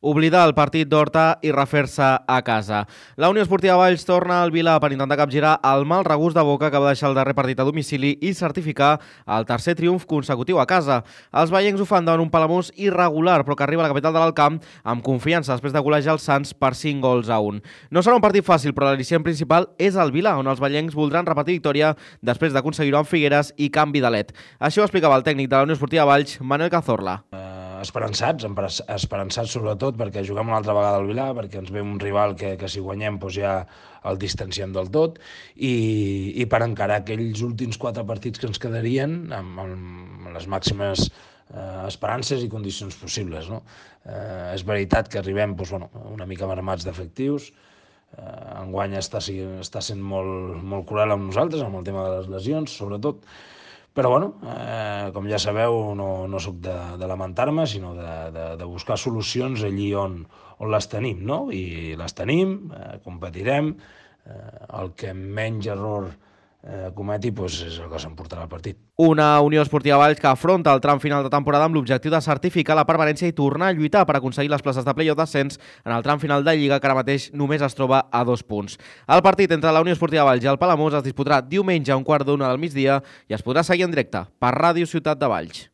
Oblidar el partit d'Horta i refer-se a casa. La Unió Esportiva Valls torna al Vilà per intentar capgirar el mal regust de boca que va deixar el darrer partit a domicili i certificar el tercer triomf consecutiu a casa. Els veiencs ho fan davant un Palamós irregular, però que arriba a la capital de l'Alcamp amb confiança després de golejar els Sants per 5 gols a 1. No serà un partit fàcil, però l'al·licient principal és el Vilà, on els veiencs voldran repetir victòria després d'aconseguir-ho amb Figueres i canvi d'alet. Això ho explicava el tècnic de la Unió Esportiva Valls, Manuel Cazorla. Esperançats sobretot perquè juguem una altra vegada al Vilà, perquè ens ve un rival que si guanyem doncs ja el distanciem del tot i per encarar aquells últims 4 partits que ens quedarien amb les màximes esperances i condicions possibles, no? És veritat que arribem una mica mermats d'efectius. Enguany està sent molt cruel amb nosaltres, amb el tema de les lesions, sobretot. Però, com ja sabeu, no soc de lamentar-me, sinó de buscar solucions allí on les tenim, no? I les tenim, competirem, el que menys error cometi és el que s'emportarà el partit. Una Unió Esportiva Valls que afronta el tram final de temporada amb l'objectiu de certificar la permanència i tornar a lluitar per aconseguir les places de play-off d'ascens en el tram final de Lliga, que ara mateix només es troba a 2 punts. El partit entre la Unió Esportiva Valls i el Palamós es disputarà diumenge a 12:15 del migdia i es podrà seguir en directe per Ràdio Ciutat de Valls.